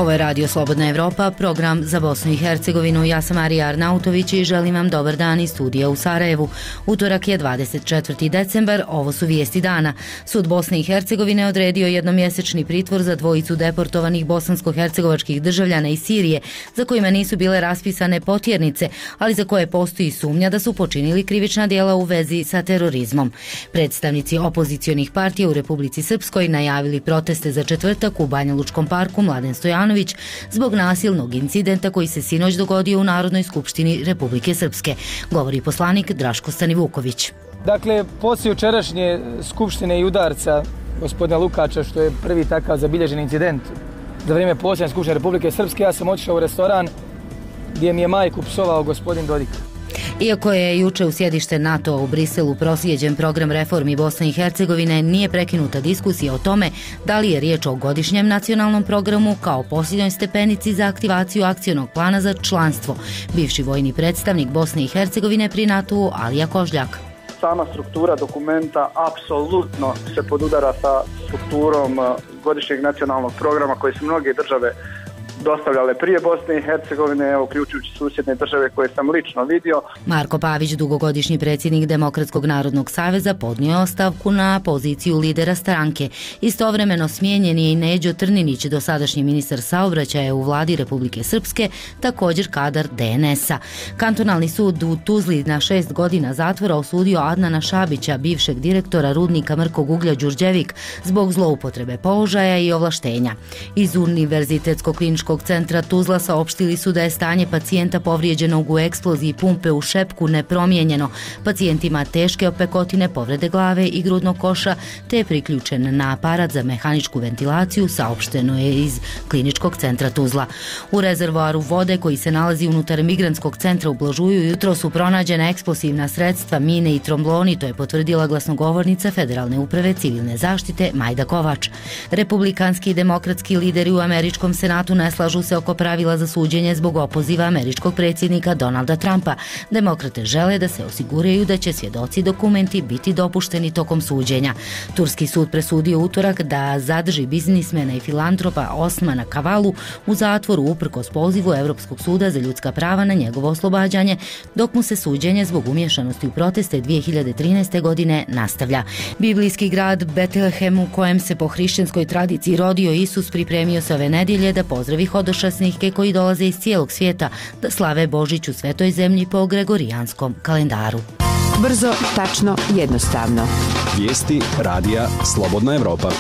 Ovo je Radio Slobodna Evropa, program za Bosnu i Hercegovinu. Ja sam Arija Arnautović i želim vam dobar dan iz studija u Sarajevu. Utorak je 24. decembar, ovo su vijesti dana. Sud Bosne i Hercegovine odredio jednomjesečni pritvor za dvojicu deportovanih bosansko-hercegovačkih državljana iz Sirije, za kojima nisu bile raspisane potjernice, ali za koje postoji sumnja da su počinili krivična djela u vezi sa terorizmom. Predstavnici opozicionih partija u Republici Srpskoj najavili proteste za četvrtak u Banja Lučkom parku Mladen Stojanović zbog nasilnog incidenta koji se sinoć dogodio u Narodnoj skupštini Republike Srpske, govori poslanik Draško Stanivuković. Dakle, poslije jučerašnje skupštine i udarca gospodina Lukača, što je prvi takav zabilježen incident za vrijeme posljednje skupštine Republike Srpske, ja sam otišao u restoran gdje mi je majku psovao gospodin Dodik. Iako je juče u sjedište NATO u Briselu proslijeđen program reformi Bosne i Hercegovine, nije prekinuta diskusija o tome da li je riječ o godišnjem nacionalnom programu kao posljednjoj stepenici za aktivaciju akcionog plana za članstvo. Bivši vojni predstavnik Bosne i Hercegovine pri NATO-u Alija Kožljak. Sama struktura dokumenta apsolutno se podudara sa strukturom godišnjeg nacionalnog programa koje su mnoge države dostavljale prije Bosne i Hercegovine, uključujući susjedne države koje sam lično vidio. Marko Pavić, dugogodišnji predsjednik Demokratskog narodnog saveza, podnio ostavku na poziciju lidera stranke. Istovremeno smijenjen je i Neđo Trninić, dosadašnji ministar saobraćaja u vladi Republike Srpske, također kadar DNS-a. Kantonalni sud u Tuzli na 6 godina zatvora osudio Adnana Šabića, bivšeg direktora rudnika mrkog uglja Đurđevik, zbog zloupotrebe položaja i ovlaštenja. Iz Univerzitetskog kliničkog centra Tuzla saopštili su da je stanje pacijenta povrijeđenog u eksploziji pumpe u šepku nepromijenjeno. Pacijent ima teške opekotine, povrede glave i grudnog koša, te je priključen na aparat za mehaničku ventilaciju, saopšteno je iz kliničkog centra Tuzla. U rezervoaru vode koji se nalazi unutar migrantskog centra u Blažuju jutro su pronađena eksplozivna sredstva, mine i trombloni, to je potvrdila glasnogovornica Federalne uprave civilne zaštite Majda Kovač. Republikanski i demokratski lideri u američkom senatu ne slažu se oko pravila za suđenje zbog opoziva američkog predsjednika Donalda Trumpa. Demokrate žele da se osiguraju da će svjedoci dokumenti biti dopušteni tokom suđenja. Turski sud presudio utorak da zadrži biznismena i filantropa Osmana Kavalu u zatvoru uprkos pozivu Europskog suda za ljudska prava na njegovo oslobađanje, dok mu se suđenje zbog umješanosti u proteste 2013. godine nastavlja. Biblijski grad Betlehem, u kojem se po hrišćanskoj tradiciji rodio Isus, pripremio se ove nedjelje da pozdravi hodočasnike koji dolaze iz cijelog svijeta da slave Božić u svetoj zemlji po gregorijanskom kalendaru. Brzo, tačno, jednostavno. Vijesti radija Slobodna Evropa.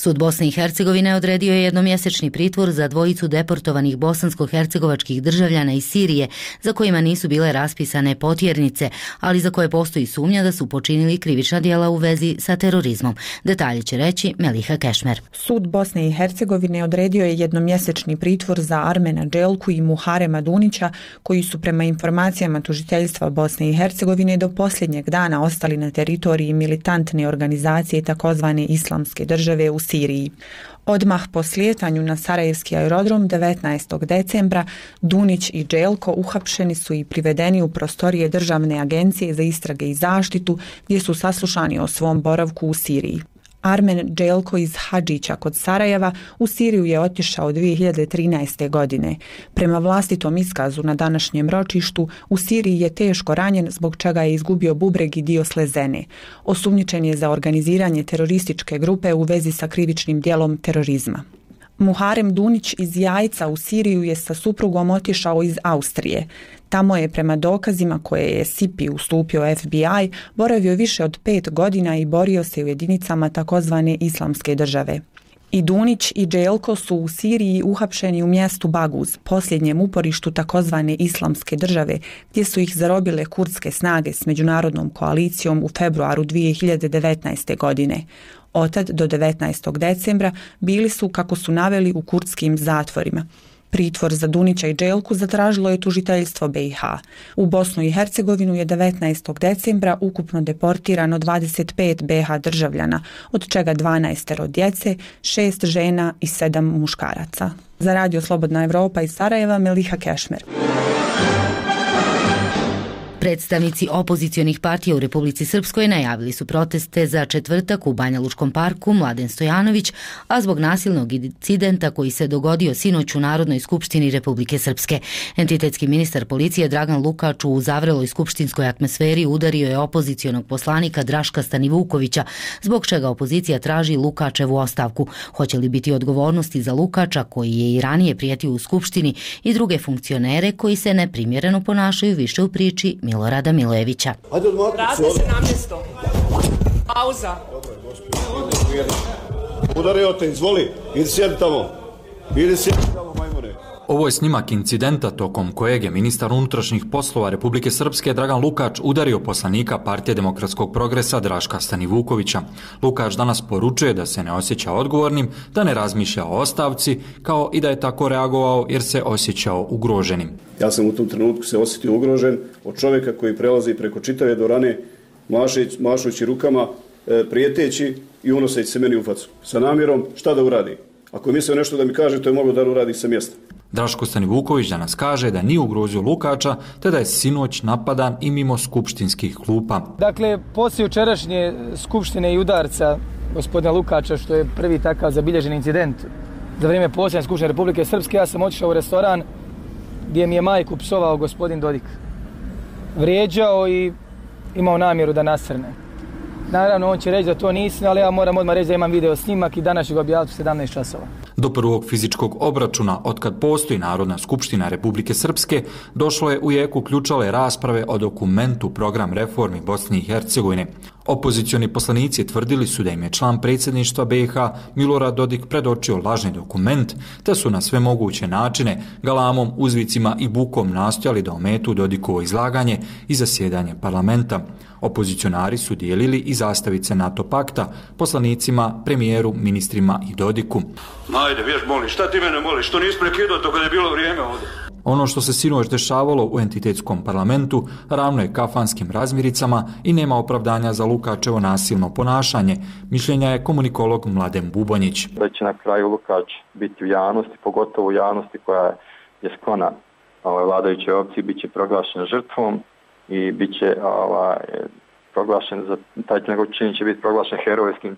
Sud Bosne i Hercegovine odredio je jednomjesečni pritvor za dvojicu deportovanih bosansko-hercegovačkih državljana iz Sirije, za kojima nisu bile raspisane potjernice, ali za koje postoji sumnja da su počinili krivična djela u vezi sa terorizmom. Detalje će reći Meliha Kešmer. Sud Bosne i Hercegovine odredio je jednomjesečni pritvor za Armena Dželku i Muharema Dunića, koji su prema informacijama tužiteljstva Bosne i Hercegovine do posljednjeg dana ostali na teritoriji militantne organizacije takozvane Islamske države u Siriji. Odmah po slijetanju na Sarajevski aerodrom 19. decembra Dunić i Dželko uhapšeni su i privedeni u prostorije Državne agencije za istrage i zaštitu, gdje su saslušani o svom boravku u Siriji. Armen Dželko iz Hadžića kod Sarajeva u Siriju je otišao 2013. godine. Prema vlastitom iskazu na današnjem ročištu, u Siriji je teško ranjen, zbog čega je izgubio bubreg i dio slezene. Osumnjičen je za organiziranje terorističke grupe u vezi sa krivičnim djelom terorizma. Muharem Dunić iz Jajca u Siriju je sa suprugom otišao iz Austrije. Tamo je prema dokazima koje je SIPI ustupio FBI boravio više od 5 godina i borio se u jedinicama takozvane Islamske države. I Dunić i Dželko su u Siriji uhapšeni u mjestu Baguz, posljednjem uporištu takozvane Islamske države, gdje su ih zarobile kurdske snage s međunarodnom koalicijom u februaru 2019. godine. Otad do 19. decembra bili su, kako su naveli, u kurdskim zatvorima. Pritvor za Dunića i Dželku zatražilo je tužiteljstvo BiH. U Bosnu i Hercegovinu je 19. decembra ukupno deportirano 25 BiH državljana, od čega 12 djece, 6 žena i 7 muškaraca. Za Radio Slobodna Evropa iz Sarajeva, Meliha Kešmer. Predstavnici opozicionih partija u Republici Srpskoj najavili su proteste za četvrtak u Banja Lučkom parku Mladen Stojanović, a zbog nasilnog incidenta koji se dogodio sinoć u Narodnoj skupštini Republike Srpske. Entitetski ministar policije Dragan Lukač u zavreloj skupštinskoj atmosferi udario je opozicionog poslanika Draška Stanivukovića, zbog čega opozicija traži Lukačevu ostavku. Hoće li biti odgovornosti za Lukača, koji je i ranije prijetio u skupštini, i druge funkcionere koji se neprimjereno ponašaju, više u priči Milorada Milojevića. Vratite se na mjesto. Pauza. Udario te, izvoli, idi sjedi tamo. Idi sjedi tamo, majmune. Ovo je snimak incidenta tokom kojeg je ministar unutrašnjih poslova Republike Srpske Dragan Lukač udario poslanika Partije demokratskog progresa Draška Stanivukovića. Lukač danas poručuje da se ne osjeća odgovornim, da ne razmišlja o ostavci, kao i da je tako reagovao jer se osjećao ugroženim. Ja sam u tom trenutku se osjetio ugrožen od čovjeka koji prelazi preko čitave dvorane, mašući rukama, prijeteći i unoseći se meni u facu. Sa namjerom šta da uradi? Ako je mislio nešto da mi kaže, to je moglo da uradi sa mjesta. Draško Stanivuković danas kaže da nije ugrozio Lukača, te da je sinoć napadan i mimo skupštinskih klupa. Dakle, poslije jučerašnje skupštine i udarca gospodina Lukača, što je prvi takav zabilježen incident za vrijeme posljednje skupštine Republike Srpske, ja sam otišao u restoran gdje mi je majku psovao gospodin Dodik. Vrijeđao i imao namjeru da nasrne. Naravno, on će reći da to nisam, ali ja moram odmah reći da imam video snimak i danas ću ga objaviti u 17 časova. Do prvog fizičkog obračuna, otkad postoji Narodna skupština Republike Srpske, došlo je u jeku ključale rasprave o dokumentu Program reformi Bosne i Hercegovine. Opozicioni poslanici tvrdili su da im je član predsjedništva BiH Milorad Dodik predočio lažni dokument, te su na sve moguće načine galamom, uzvicima i bukom nastojali da ometu Dodikovo izlaganje i zasjedanje parlamenta. Opozicionari su dijelili i zastavice NATO pakta poslanicima, premijeru, ministrima i Dodiku. Ajde, vješ, moli, šta ti mene moliš? Što nisi prekidao to kad je bilo vrijeme ovdje? Ono što se sinoć dešavalo u entitetskom parlamentu ravno je kafanskim razmiricama i nema opravdanja za Lukačevo nasilno ponašanje, mišljenja je komunikolog Mladen Bubonjić. Da će na kraju Lukač biti u javnosti, pogotovo u javnosti koja je sklona vladajućoj opciji, bit će proglašen žrtvom i bit će proglašen, taj njegov čin će biti proglašen herojskim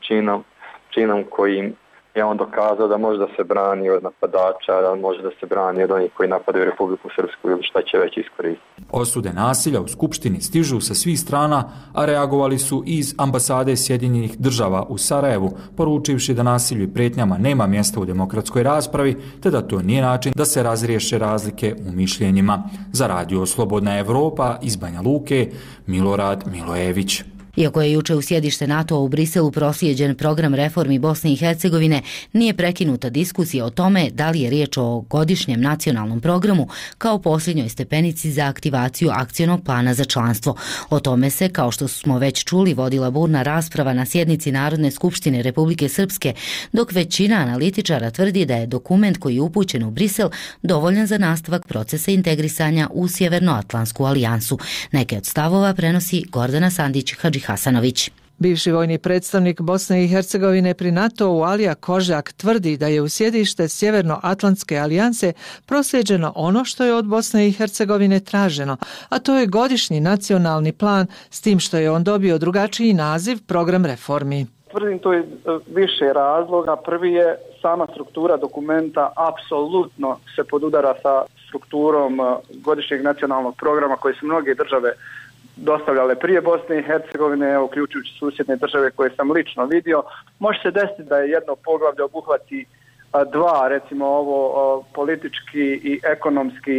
činom kojim je on dokazao da može da se brani od napadača, da može da se brani od onih koji napadaju Republiku Srpsku ili šta će već iskoristiti. Osude nasilja u Skupštini stižu sa svih strana, a reagovali su iz ambasade Sjedinjenih država u Sarajevu, poručivši da nasilju i pretnjama nema mjesta u demokratskoj raspravi, te da to nije način da se razriješe razlike u mišljenjima. Za Radio Slobodna Evropa iz Banja Luke, Milorad Milojević. Iako je juče u sjedište NATO-a u Briselu proslijeđen program reformi Bosne i Hercegovine, nije prekinuta diskusija o tome da li je riječ o godišnjem nacionalnom programu kao posljednjoj stepenici za aktivaciju akcionog plana za članstvo. O tome se, kao što smo već čuli, vodila burna rasprava na sjednici Narodne skupštine Republike Srpske, dok većina analitičara tvrdi da je dokument koji je upućen u Brisel dovoljan za nastavak procesa integrisanja u Sjevernoatlantsku alijansu. Neke od stavova prenosi Gordana Sandić-Hadži Hasanović. Bivši vojni predstavnik Bosne i Hercegovine pri NATO-u Alija Kožak tvrdi da je u sjedište Sjevernoatlantske alijanse proslijeđeno ono što je od Bosne i Hercegovine traženo, a to je godišnji nacionalni plan, s tim što je on dobio drugačiji naziv program reformi. Tvrdim to je više razloga. Prvi je sama struktura dokumenta apsolutno se podudara sa strukturom godišnjeg nacionalnog programa koji su mnoge države dostavljale prije Bosne i Hercegovine, uključujući susjedne države koje sam lično vidio. Može se desiti da je jedno poglavlje obuhvati dva, recimo ovo politički i ekonomski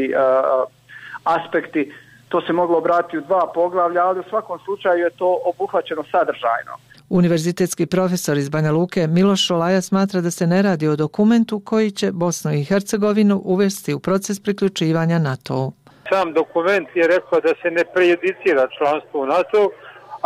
aspekti. To se moglo obratiti u dva poglavlja, ali u svakom slučaju je to obuhvaćeno sadržajno. Univerzitetski profesor iz Banja Luke Miloš Šolaja smatra da se ne radi o dokumentu koji će Bosnu i Hercegovinu uvesti u proces priključivanja NATO-u. Sam dokument je rekao da se ne prejudicira članstvo u NATO,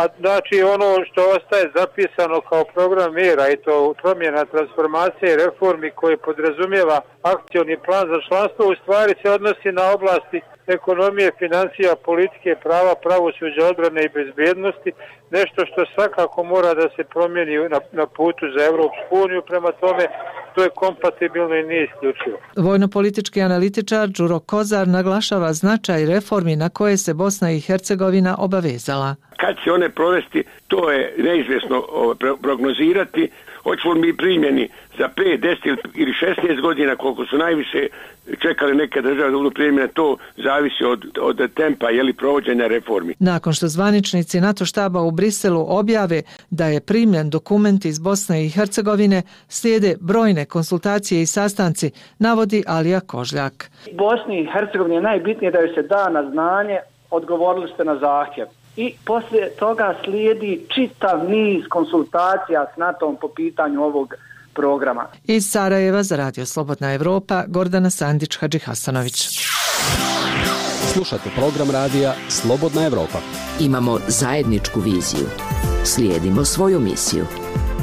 a znači ono što ostaje zapisano kao program mjera i to promjena, transformacije i reformi koje podrazumijeva akcioni plan za članstvo u stvari se odnosi na oblasti ekonomije, financija, politike, prava, pravosuđa, odbrane i bezbjednosti, nešto što svakako mora da se promijeni na putu za Europsku uniju. Prema tome, to je kompatibilno i nije isključivo. Vojno-politički analitičar Đuro Kozar naglašava značaj reformi na koje se Bosna i Hercegovina obavezala. Kad će one provesti, to je neizvjesno prognozirati. Hoćemo mi primjeni za 5, 10 ili 16 godina, koliko su najviše čekali neke države da budu primjene, to zavisi od tempa provođenja reformi. Nakon što zvaničnici NATO štaba u Briselu objave da je primljen dokument iz Bosne i Hercegovine, slijede brojne konsultacije i sastanci, navodi Alija Kožljak. Bosni i Hercegovini je najbitnije da joj se da na znanje, odgovorili ste na zahtjev. I poslije toga slijedi čitav niz konsultacija s NATO-om po pitanju ovog programa. Iz Sarajeva za Radio Slobodna Evropa, Gordana Sandić-Hadžihasanović. Slušate program radija Slobodna Evropa. Imamo zajedničku viziju. Slijedimo svoju misiju.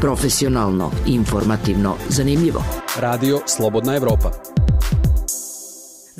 Profesionalno, informativno, zanimljivo. Radio Slobodna Evropa.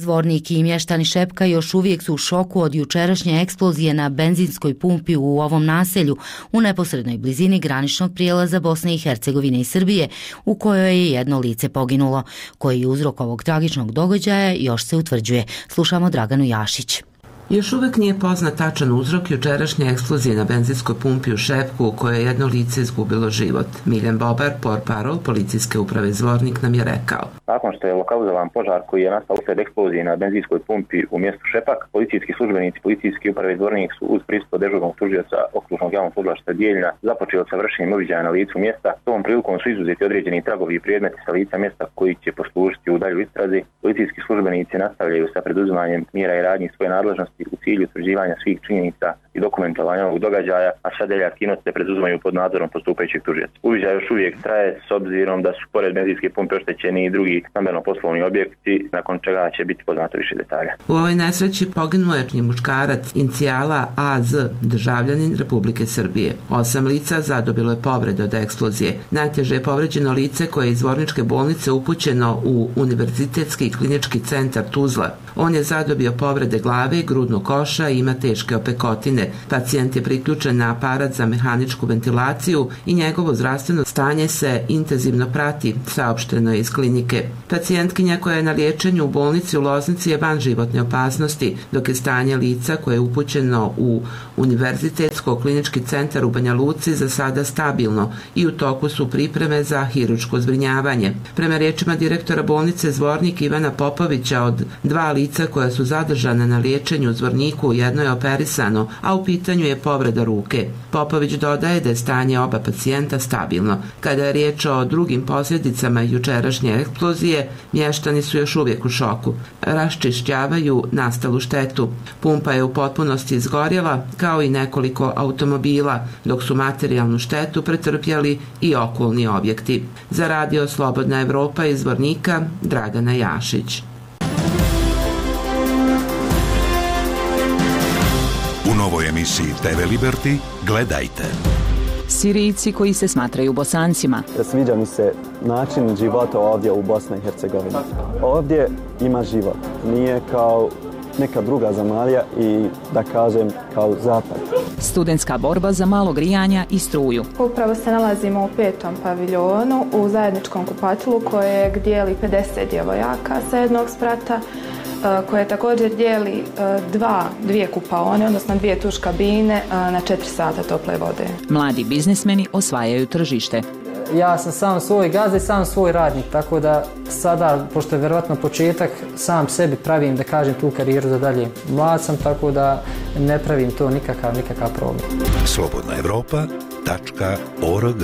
Zvornik i mještani Šepka još uvijek su u šoku od jučerašnje eksplozije na benzinskoj pumpi u ovom naselju u neposrednoj blizini graničnog prijelaza Bosne i Hercegovine i Srbije, u kojoj je jedno lice poginulo. Koji je uzrok ovog tragičnog događaja još se utvrđuje. Slušamo Draganu Jašić. Još uvijek nije poznat tačan uzrok jučerašnje eksplozije na benzinskoj pumpi u Šepku u kojoj je jedno lice izgubilo život. Miljan Bobar, portparol Policijske uprave Zvornik, nam je rekao. Nakon što je lokalizovan požar koji je nastao uslijed eksplozije na benzinskoj pumpi u mjestu Šepak, policijski službenici Policijske uprave Zvornik su uz prisustvo dežurnog tužioca okružnog javnog tužilaštva Dijeljina započeli sa vršenjem uviđaja na licu mjesta. Tom prilikom su izuzeti određeni tragovi i predmeti sa lica mjesta koji će poslužiti u dalju istrazi. Policijski službenici nastavljaju sa preduzimanjem mjera i radnji svoje nadležnosti u cilju utvrđivanja svih činjenica i dokumentovanja ovog događaja, a sve dalje aktivnosti se preduzimaju pod nadzorom postupajućeg tužioca. Uviđaj još uvijek traje s obzirom da su pored benzinske pumpe oštećeni i drugi stambeno-poslovni objekti, nakon čega će biti poznato više detalja. U ovoj nesreći poginuo je muškarac incijala AZ, državljanin Republike Srbije. 8 lica zadobilo je povrede od eksplozije. Najteže je povređeno lice koje je iz Zvorničke bolnice upućeno u Univerzitetski klinički centar Tuzla. On je zadobio povrede glave, grudnog koša i ima teške opekotine. Pacijent je priključen na aparat za mehaničku ventilaciju i njegovo zdravstveno stanje se intenzivno prati, saopšteno je iz klinike. Pacijentkinja koja je na liječenju u bolnici u Loznici je van životne opasnosti, dok je stanje lica koje je upućeno u Univerzitetsko klinički centar u Banja Luci za sada stabilno i u toku su pripreme za hirurško zbrinjavanje. Prema riječima direktora bolnice Zvornik Ivana Popovića, od 2 lica koja su zadržana na liječenju u Zvorniku, jedno je operisano, a u pitanju je povreda ruke. Popović dodaje da je stanje oba pacijenta stabilno. Kada je riječ o drugim posljedicama jučerašnje eksplozije, mještani su još uvijek u šoku. Raščišćavaju nastalu štetu. Pumpa je u potpunosti izgorjela, kao i nekoliko automobila, dok su materijalnu štetu pretrpjeli i okolni objekti. Za Radio Slobodna Evropa iz Zvornika, Dragana Jašić. U novoj emisiji TV Liberty gledajte. Sirijci koji se smatraju Bosancima. Sviđa mi se način života ovdje u Bosni i Hercegovini. Ovdje ima život. Nije kao neka druga zemalja i da kažem kao zapad. Studentska borba za malo grijanja i struju. Upravo se nalazimo u 5. paviljonu u zajedničkom kupatilu kojeg dijeli 50 djevojaka sa jednog sprata, koje također dijeli dvije kupaone, odnosno 2 tuš kabine na 4 sata tople vode. Mladi biznismeni osvajaju tržište. Ja sam sam svoj gazda i sam svoj radnik, tako da sada, pošto je vjerovatno početak, sam sebi pravim, da kažem, tu karijeru za dalje. Mlad sam, tako da ne pravim to nikakav problem. slobodnaevropa.org.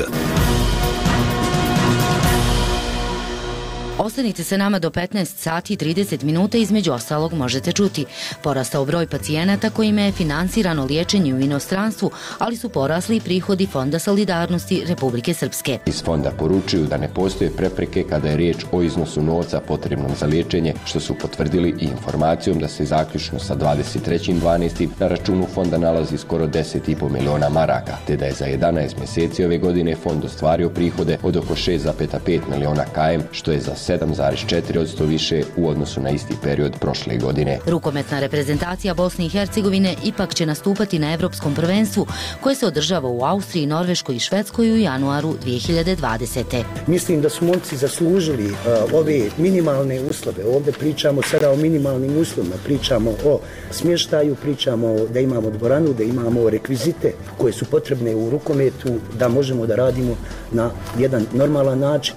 Ostanite se nama do 15 sati i 30 minuta, između ostalog možete čuti. Porastao broj pacijenata kojima je finansirano liječenje u inostranstvu, ali su porasli i prihodi Fonda solidarnosti Republike Srpske. Iz fonda poručuju da ne postoje prepreke kada je riječ o iznosu novca potrebnom za liječenje, što su potvrdili i informacijom da se zaključno sa 23.12. na računu fonda nalazi skoro 10,5 miliona maraka, te da je za 11 mjeseci ove godine fond ostvario prihode od oko 6,5 miliona km, što je za 7,4% više u odnosu na isti period prošle godine. Rukometna reprezentacija Bosne i Hercegovine ipak će nastupati na Evropskom prvenstvu koje se održava u Austriji, Norveškoj i Švedskoj u januaru 2020. Mislim da su momci zaslužili ove minimalne uslove. Ovdje pričamo sada o minimalnim uslovima, pričamo o smještaju, pričamo da imamo dvoranu, da imamo rekvizite koje su potrebne u rukometu, da možemo da radimo na jedan normalan način.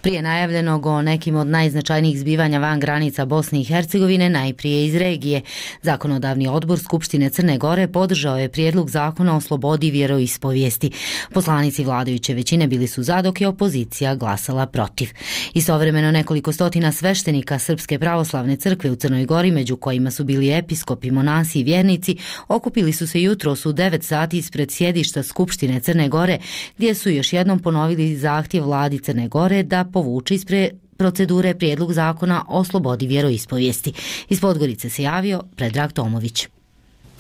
Prije najavljenog o nekim od najznačajnijih zbivanja van granica Bosne i Hercegovine, najprije iz regije. Zakonodavni odbor Skupštine Crne Gore podržao je prijedlog zakona o slobodi vjeroispovijesti. Poslanici vladajuće većine bili su za, dok je opozicija glasala protiv. Istovremeno nekoliko stotina sveštenika Srpske pravoslavne crkve u Crnoj Gori, među kojima su bili episkopi, monasi i vjernici, okupili su se jutros u 9 sati ispred sjedišta Skupštine Crne Gore, gdje su još jednom ponovili zahtjev vladi Crne Gore da povuče iz procedure prijedlog zakona o slobodi vjeroispovijesti. Iz Podgorice se javio Predrag Tomović.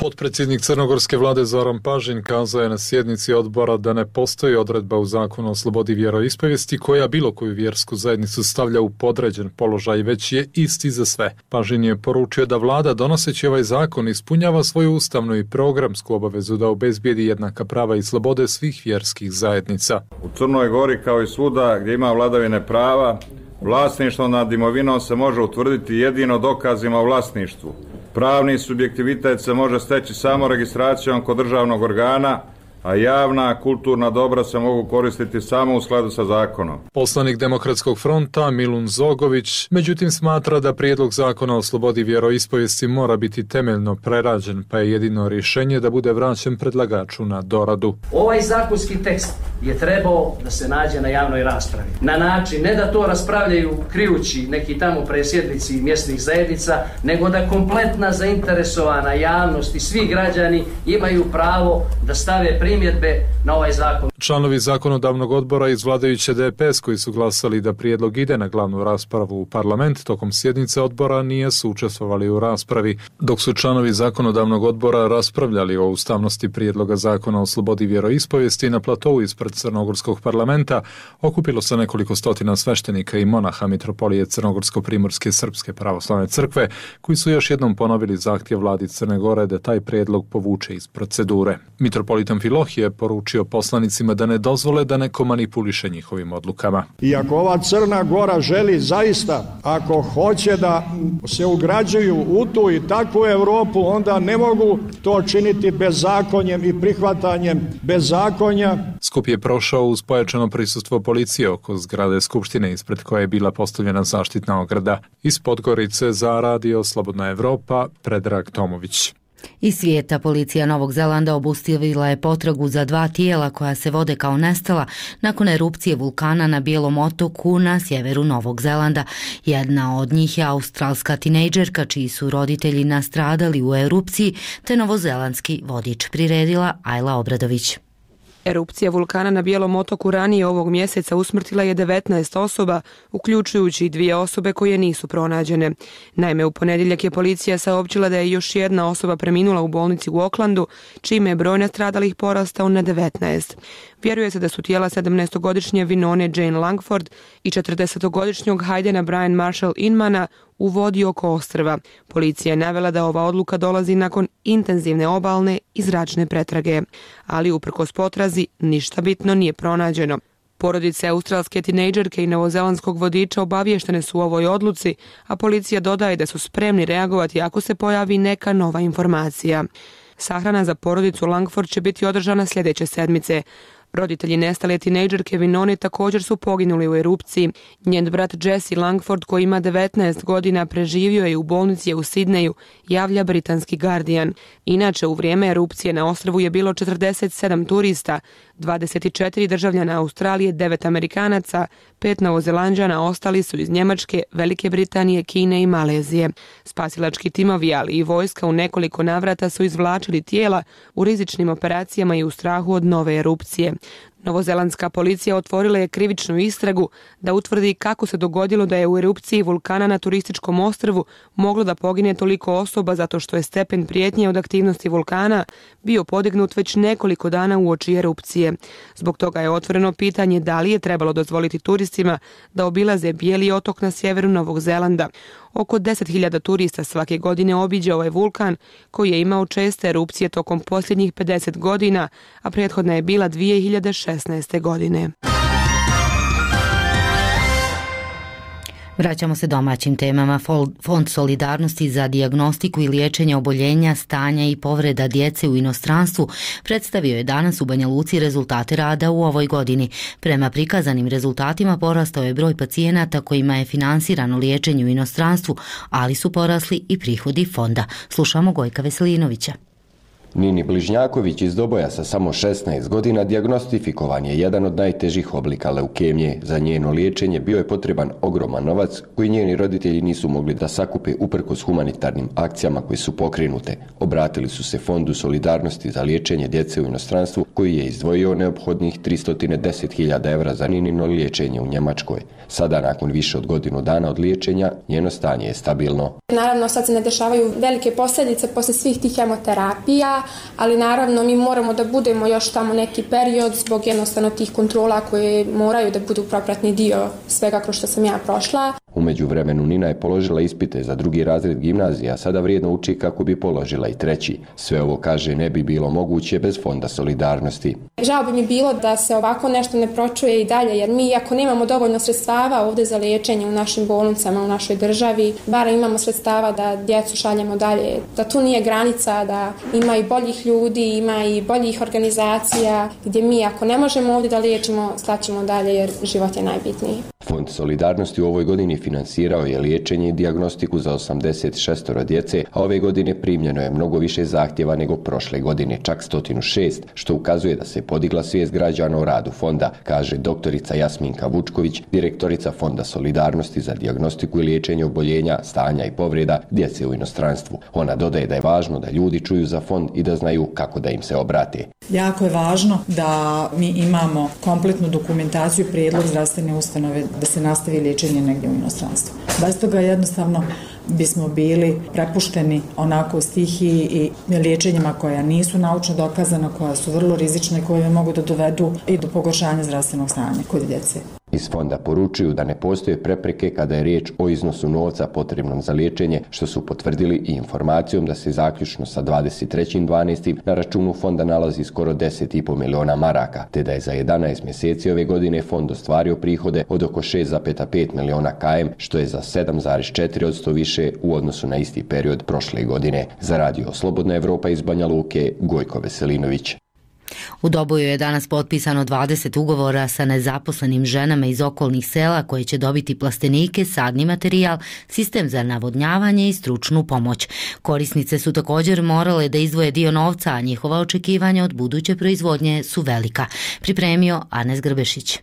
Potpredsjednik crnogorske vlade Zoran Pažin kazao je na sjednici odbora da ne postoji odredba u zakonu o slobodi vjeroispovijesti koja bilo koju vjersku zajednicu stavlja u podređen položaj, već je isti za sve. Pažin je poručio da vlada donoseći ovaj zakon ispunjava svoju ustavnu i programsku obavezu da obezbijedi jednaka prava i slobode svih vjerskih zajednica. U Crnoj Gori kao i svuda gdje ima vladavine prava, vlasništvo nad imovinom se može utvrditi jedino dokazima o vlasništvu. Pravni subjektivitet se može steći samo registracijom kod državnog organa, a javna kulturna dobra se mogu koristiti samo u skladu sa zakonom. Poslanik Demokratskog fronta Milun Zogović međutim smatra da prijedlog zakona o slobodi vjeroispovijesti mora biti temeljno prerađen, pa je jedino rješenje da bude vraćen predlagaču na doradu. Ovaj zakonski tekst je trebao da se nađe na javnoj raspravi. Na način ne da to raspravljaju krijući neki tamo presjednici mjesnih zajednica, nego da kompletna zainteresovana javnost i svi građani imaju pravo da stave primjedbe na ovaj zakon. Članovi zakonodavnog odbora iz vladajuće DPS koji su glasali da prijedlog ide na glavnu raspravu u parlament tokom sjednice odbora nisu učestvovali u raspravi. Dok su članovi zakonodavnog odbora raspravljali o ustavnosti prijedloga zakona o slobodi vjeroispovijesti na platovu ispred Crnogorskog parlamenta, okupilo se nekoliko stotina sveštenika i monaha Mitropolije Crnogorsko-primorske Srpske pravoslavne crkve koji su još jednom ponovili zahtjev vladi Crne Gore da taj prijedlog povuče iz procedure. Mitropolit Amfilohije je poručio poslanicima da ne dozvole da neko manipuliše njihovim odlukama. I ako ova Crna Gora želi zaista, ako hoće da se ugrađuju u tu i takvu Europu, onda ne mogu to činiti bezakonjem i prihvatanjem bezakonja. Skup je prošao uz pojačano prisustvo policije oko zgrade Skupštine ispred koje je bila postavljena zaštitna ograda. Iz Podgorice za Radio Slobodna Evropa, Predrag Tomović. Iz svijeta policija Novog Zelanda obustavila je potragu za 2 tijela koja se vode kao nestala nakon erupcije vulkana na Bijelom otoku na sjeveru Novog Zelanda. Jedna od njih je australska tinejdžerka čiji su roditelji nastradali u erupciji, te novozelandski vodič, priredila Ajla Obradović. Erupcija vulkana na Bijelom otoku ranije ovog mjeseca usmrtila je 19 osoba, uključujući 2 osobe koje nisu pronađene. Naime, u ponedjeljak je policija saopćila da je još jedna osoba preminula u bolnici u Aucklandu, čime je broj nastradalih porastao na 19. Vjeruje se da su tijela 17-godišnje Vinone Jane Langford i 40-godišnjeg Haydena Brian Marshall Inmana u vodi oko ostrva. Policija je navela da ova odluka dolazi nakon intenzivne obalne i zračne pretrage, ali uprkos potrazi ništa bitno nije pronađeno. Porodice australske tinejdžerke i novozelandskog vodiča obavještene su u ovoj odluci, a policija dodaje da su spremni reagovati ako se pojavi neka nova informacija. Sahrana za porodicu Langford će biti održana sljedeće sedmice. Roditelji nestale tinejdžerke Vinone također su poginuli u erupciji. Njen brat Jesse Langford, koji ima 19 godina, preživio je u bolnici u Sidneju, javlja britanski Guardian. Inače, u vrijeme erupcije na ostrvu je bilo 47 turista, 24 državljana Australije, 9 Amerikanaca, 5 Novozelanđana, ostali su iz Njemačke, Velike Britanije, Kine i Malezije. Spasilački timovi, ali i vojska u nekoliko navrata su izvlačili tijela u rizičnim operacijama i u strahu od nove erupcije. Novozelandska policija otvorila je krivičnu istragu da utvrdi kako se dogodilo da je u erupciji vulkana na turističkom ostrvu moglo da pogine toliko osoba zato što je stepen prijetnje od aktivnosti vulkana bio podignut već nekoliko dana uoči erupcije. Zbog toga je otvoreno pitanje da li je trebalo dozvoliti turistima da obilaze Bijeli otok na sjeveru Novog Zelanda. Oko 10.000 turista svake godine obiđe ovaj vulkan koji je imao česte erupcije tokom posljednjih 50 godina, a prethodna je bila 2016. godine. Vraćamo se domaćim temama. Fond solidarnosti za dijagnostiku i liječenje oboljenja, stanja i povreda djece u inostranstvu predstavio je danas u Banja Luci rezultate rada u ovoj godini. Prema prikazanim rezultatima porastao je broj pacijenata kojima je finansirano liječenje u inostranstvu, ali su porasli i prihodi fonda. Slušamo Gojka Veselinovića. Nini Bližnjaković iz Doboja sa samo 16 godina dijagnostifikovan je jedan od najtežih oblika leukemije. Za njeno liječenje bio je potreban ogroman novac koji njeni roditelji nisu mogli da sakupe uprkos humanitarnim akcijama koje su pokrenute. Obratili su se Fondu solidarnosti za liječenje djece u inostranstvu koji je izdvojio neophodnih 310.000 evra za Ninino liječenje u Njemačkoj. Sada, nakon više od godinu dana od liječenja, njeno stanje je stabilno. Naravno, sad se ne dešavaju velike posljedice posle svih tih hemoterapija, ali naravno mi moramo da budemo još tamo neki period zbog jednostavno tih kontrola koje moraju da budu propratni dio svega kroz što sam ja prošla. U međuvremenu Nina je položila ispite za 2. razred gimnazije, a sada vrijedno uči kako bi položila i 3. Sve ovo, kaže, ne bi bilo moguće bez Fonda solidarnosti. Žao bi mi bilo da se ovako nešto ne pročuje i dalje, jer mi ako nemamo dovoljno sredstava ovdje za liječenje u našim bolnicama, u našoj državi, bar imamo sredstava da djecu šaljemo dalje, da tu nije granica, da ima i boljih ljudi, ima i boljih organizacija, gdje mi ako ne možemo ovdje da liječimo, slaćemo dalje jer život je najbitniji. Fond solidarnosti u ovoj godini finansirao je liječenje i dijagnostiku za 86 djece, a ove godine primljeno je mnogo više zahtjeva nego prošle godine, čak 106, što ukazuje da se podigla svijest građana o radu fonda, kaže doktorica Jasminka Vučković, direktorica Fonda solidarnosti za dijagnostiku i liječenje oboljenja, stanja i povreda djece u inostranstvu. Ona dodaje da je važno da ljudi čuju za fond i da znaju kako da im se obrate. Jako je važno da mi imamo kompletnu dokumentaciju, prijedlog zdravstvene ustanove da se nastavi liječenje negdje u inostranstvu. Bez toga jednostavno bismo bili prepušteni onako stihiji i liječenjima koja nisu naučno dokazana, koja su vrlo rizične i koje mogu da dovedu i do pogoršanja zdravstvenog stanja kod djece. Iz fonda poručuju da ne postoje prepreke kada je riječ o iznosu novca potrebnom za liječenje, što su potvrdili i informacijom da se zaključno sa 23.12. na računu fonda nalazi skoro 10,5 miliona maraka, te da je za 11 mjeseci ove godine fond ostvario prihode od oko 6,5 miliona km, što je za 7,4% više u odnosu na isti period prošle godine. Za radio Slobodna Evropa iz Banja Luke, Gojko Veselinović. U Doboju je danas potpisano 20 ugovora sa nezaposlenim ženama iz okolnih sela koje će dobiti plastenike, sadni materijal, sistem za navodnjavanje i stručnu pomoć. Korisnice su također morale da izdvoje dio novca, a njihova očekivanja od buduće proizvodnje su velika. Pripremio Anes Grbešić.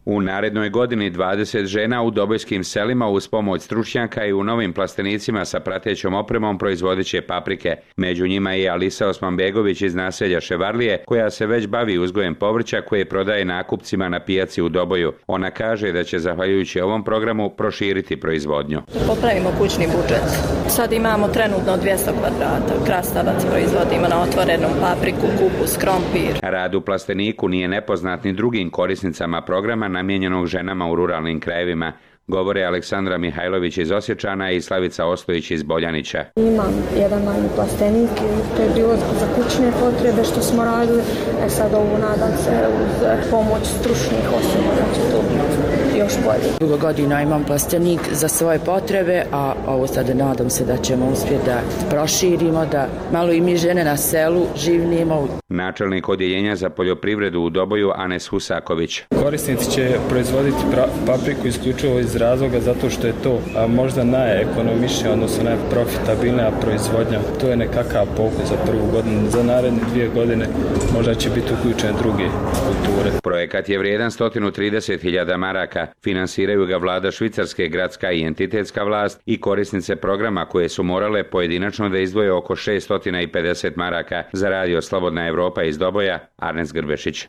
U narednoj godini 20 žena u dobojskim selima uz pomoć stručnjaka i u novim plastenicima sa pratećom opremom proizvodit će paprike. Među njima je Alisa Osmanbegović iz naselja Ševarlije, koja se već bavi uzgojem povrća koje prodaje nakupcima na pijaci u Doboju. Ona kaže da će zahvaljujući ovom programu proširiti proizvodnju. Popravimo kućni budžet. Sad imamo trenutno 200 kvadrata. Krastavac proizvodimo na otvorenom, papriku, kupus, krompir. Rad u plasteniku nije nepoznat ni drugim korisnicama programa namijenjenog ženama u ruralnim krajevima, govore Aleksandra Mihajlović iz Osječana i Slavica Ostojić iz Boljanića. Imam jedan manji plastenik i to je bilo za kućne potrebe što smo radili. Sad ovu nadam se uz pomoć stručnih osoba da će to biti još bolje. Dugo godina imam plastenik za svoje potrebe, a ovo sad nadam se da ćemo uspjeti da proširimo, da malo i mi žene na selu živnimo. Načelnik odjeljenja za poljoprivredu u Doboju Anes Husaković. Korisnici će proizvoditi papriku isključivo iz razloga zato što je to možda najekonomičnija, odnosno najprofitabilnija proizvodnja. To je nekakav pokus za prvu godinu. Za naredne 2 godine možda će biti uključene druge kulture. Projekat je vrijedan 130.000 maraka. Finansiraju ga vlada Švicarske, gradska i entitetska vlast i korisnice programa koje su morale pojedinačno da izdvoje oko 650 maraka za radio Slobodna Evropa iz Doboja. Arnes Grbešić.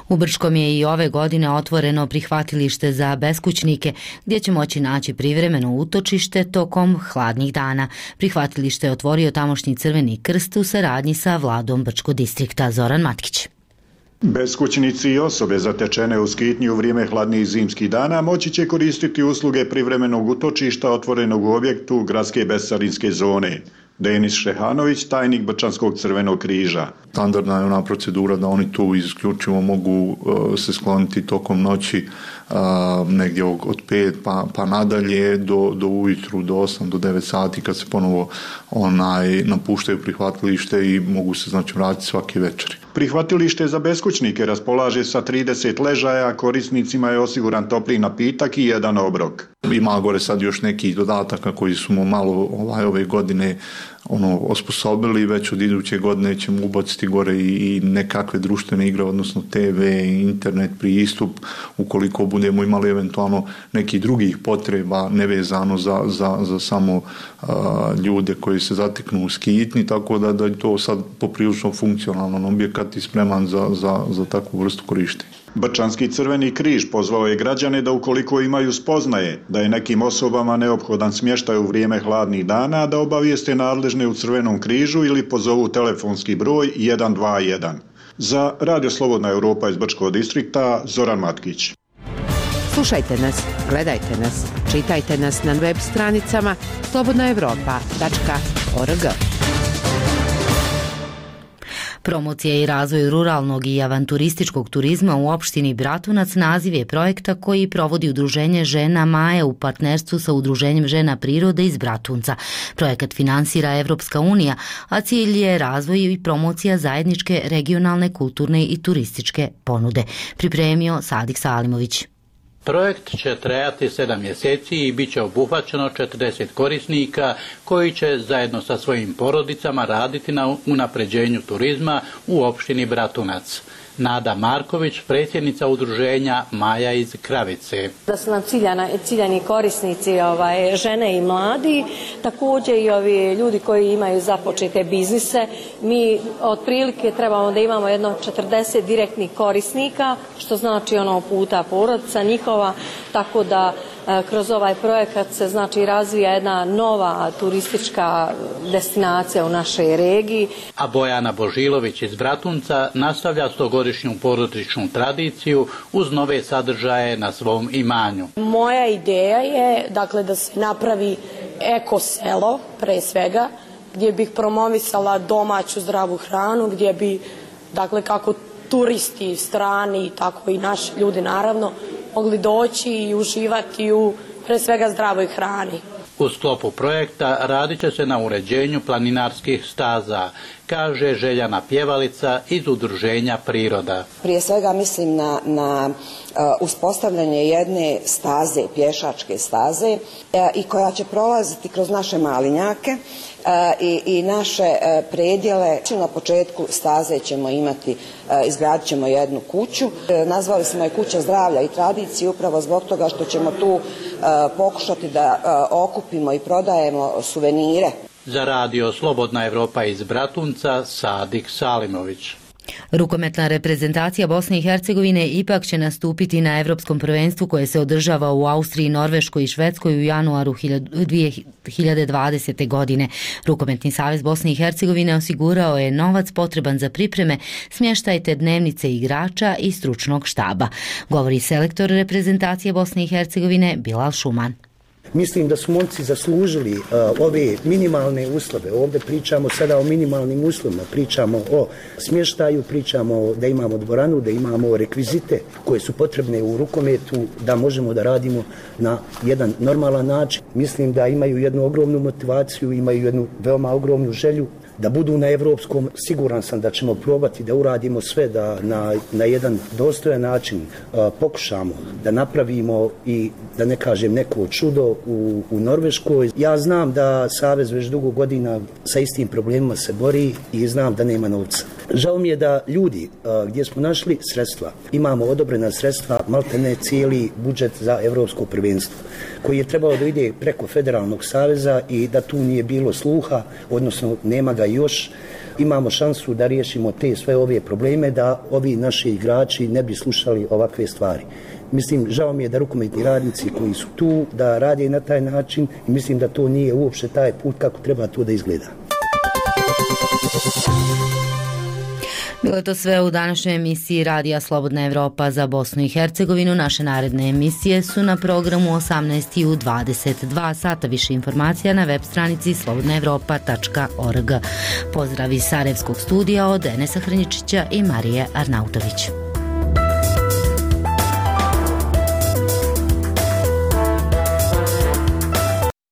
U Brčkom je i ove godine otvoreno prihvatilište za beskućnike gdje će moći naći privremeno utočište tokom hladnih dana. Prihvatilište je otvorio tamošnji Crveni krst u saradnji sa vladom Brčkog distrikta. Zoran Matkić. Beskućnici i osobe zatečene u skitnji u vrijeme hladnih zimskih dana moći će koristiti usluge privremenog utočišta otvorenog u objektu gradske bescarinske zone. Denis Šehanović, tajnik Brčanskog Crvenog križa. Standardna je ona procedura da oni tu isključivo mogu se skloniti tokom noći negdje od 5 pa nadalje do ujutru, do 8 do 9 sati kad se ponovo napuštaju prihvatilište i mogu se vratiti svake večeri. Prihvatilište za beskućnike raspolaže sa 30 ležaja, korisnicima je osiguran topli napitak i jedan obrok. Ima gore sad još neki dodataka koji smo malo ove godine osposobili, već od iduće godine ćemo ubaciti gore i nekakve društvene igre, odnosno TV, internet, pristup, ukoliko budemo imali eventualno nekih drugih potreba nevezano za samo ljude koji se zateknu u skitni, tako da je to sad poprilično funkcionalan objekat i spreman za takvu vrstu korištenja. Brčanski Crveni križ pozvao je građane da ukoliko imaju spoznaje da je nekim osobama neophodan smještaj u vrijeme hladnih dana, da obavijeste nadležne u Crvenom križu ili pozovu telefonski broj 121. Za Radio Slobodna Evropa iz Brčkog distrikta, Zoran Matkić. Slušajte nas, gledajte nas, čitajte nas na web stranicama slobodnaevropa.org. Promocija i razvoj ruralnog i avanturističkog turizma u opštini Bratunac naziv je projekta koji provodi Udruženje žena Maje u partnerstvu sa Udruženjem žena prirode iz Bratunca. Projekat finansira Evropska unija, a cilj je razvoj i promocija zajedničke regionalne, kulturne i turističke ponude. Pripremio Sadik Salimović. Projekt će trajati 7 mjeseci i bit će obuhvaćeno 40 korisnika koji će zajedno sa svojim porodicama raditi na unapređenju turizma u opštini Bratunac. Nada Marković, predsjednica udruženja Maja iz Kravice. Da su nam ciljani korisnici žene i mladi, također i ovi ljudi koji imaju započete biznise. Mi otprilike trebamo da imamo jedno 40 direktnih korisnika, što znači puta porodica njihova, tako da kroz ovaj projekat se razvija jedna nova turistička destinacija u našoj regiji. A Bojana Božilović iz Bratunca nastavlja 100-godišnju porodičnu tradiciju uz nove sadržaje na svom imanju. Moja ideja je da se napravi eko selo pre svega, gdje bih promovisala domaću zdravu hranu, gdje bi kako turisti strani, tako i naši ljudi naravno, mogli doći i uživati u pre svega zdravoj hrani. U sklopu projekta radit će se na uređenju planinarskih staza, kaže Željana Pjevalica iz Udruženja Priroda. Prije svega mislim na uspostavljanje jedne staze, pješačke staze i koja će prolaziti kroz naše malinjake i naše predjele. Na početku staze ćemo imati, izgradit ćemo jednu kuću. Nazvali smo je Kuća zdravlja i tradicije upravo zbog toga što ćemo tu pokušati da okupimo i prodajemo suvenire. Za Radio Slobodna Evropa iz Bratunca, Sadik Salimović. Rukometna reprezentacija Bosne i Hercegovine ipak će nastupiti na Evropskom prvenstvu koje se održava u Austriji, Norveškoj i Švedskoj u januaru 2020. godine. Rukometni savez Bosne i Hercegovine osigurao je novac potreban za pripreme, smještaj te dnevnice igrača i stručnog štaba. Govori selektor reprezentacije Bosne i Hercegovine Bilal Šuman. Mislim da su momci zaslužili ove minimalne uslove. Ovdje pričamo sada o minimalnim uslovima, pričamo o smještaju, pričamo da imamo dvoranu, da imamo rekvizite koje su potrebne u rukometu, da možemo da radimo na jedan normalan način. Mislim da imaju jednu ogromnu motivaciju, imaju jednu veoma ogromnu želju da budu na evropskom. Siguran sam da ćemo probati da uradimo sve da na jedan dostojan način pokušamo da napravimo i da ne kažem neko čudo u Norveškoj. Ja znam da Savez već dugo godina sa istim problemima se bori i znam da nema novca. Žao mi je da ljudi gdje smo našli sredstva, imamo odobrena sredstva, maltene cijeli budžet za evropsko prvenstvo, koji je trebao da ide preko Federalnog saveza i da tu nije bilo sluha, odnosno nema ga još. Imamo šansu da riješimo te sve ove probleme, da ovi naši igrači ne bi slušali ovakve stvari. Mislim, žao mi je da rukometni radnici koji su tu, da rade na taj način i mislim da to nije uopšte taj put kako treba to da izgleda. Bilo je to sve u današnjoj emisiji Radija Slobodna Evropa za Bosnu i Hercegovinu. Naše naredne emisije su na programu 18 i u 22 sata. Više informacija na web stranici slobodnaevropa.org. Pozdrav iz Sarajevskog studija od Enesa Hrničića i Marije Arnautović.